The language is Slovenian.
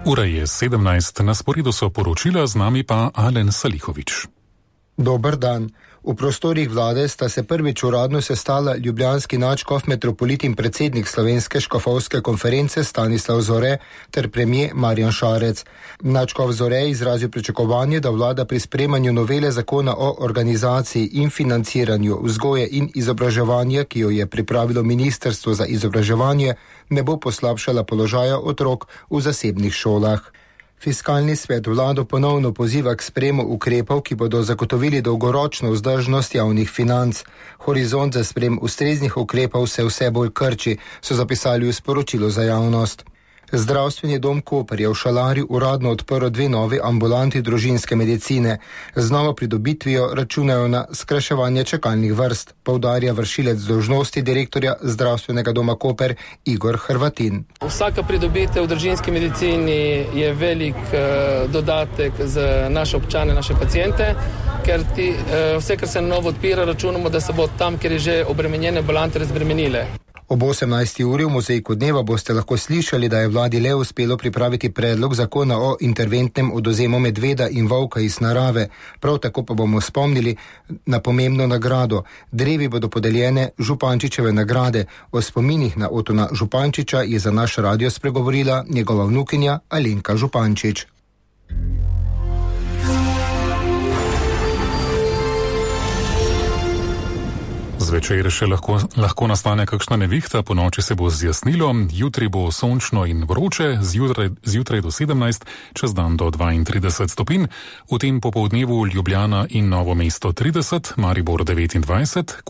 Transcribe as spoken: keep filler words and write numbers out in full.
Ura je sedemnajst, na sporedu so poročila, z nami pa Alen Salihovič. Dober dan. V prostorih vlade sta se prvič uradno sestala ljubljanski nadškof metropolit in predsednik Slovenske škofovske konference Stanislav Zore ter premier Marjan Šarec. Nadškof Zore je izrazil pričakovanje, da vlada pri sprejemanju novele zakona o organizaciji in financiranju vzgoje in izobraževanja, ki jo je pripravilo Ministrstvo za izobraževanje, ne bo poslabšala položaja otrok v zasebnih šolah. Fiskalni svet vlado ponovno poziva k sprejemu ukrepov, ki bodo zagotovili dolgoročno vzdržnost javnih financ. Horizont za sprejem ustreznih ukrepov se vse bolj krči, so zapisali v sporočilu za javnost. Zdravstveni dom Koper je v Šalari uradno odprl dve novi ambulanti družinske medicine. Z novo pridobitvijo računajo na skrajševanje čakalnih vrst, poudarja vršilec dolžnosti direktorja zdravstvenega doma Koper Igor Hrvatin. Vsaka pridobitev v družinski medicini je velik uh, dodatek za naše občane, naše pacijente, ker ti, uh, vse, kar se na novo odpira, računamo, da se bo tam, kjer je že obremenjene ambulante, razbremenile. Ob osemnajsti uri v Mozaiku dneva boste lahko slišali, da je vladi le uspelo pripraviti predlog zakona o interventnem odvzemu medveda in volka iz narave. Prav tako pa bomo spomnili na pomembno nagrado. Drevi bodo podeljene Župančičeve nagrade. O spominih na Otona Župančiča je za naš radio spregovorila njegova vnukinja Alenka Župančič. Zvečer še lahko, lahko nastane kakšna nevihta, po noči se bo zjasnilo, jutri bo sončno in vroče, zjutraj, zjutraj do sedemnajst, čez dan do dvaintrideset stopinj, v tem popoldnevu Ljubljana in Novo mesto trideset, Maribor devetindvajset,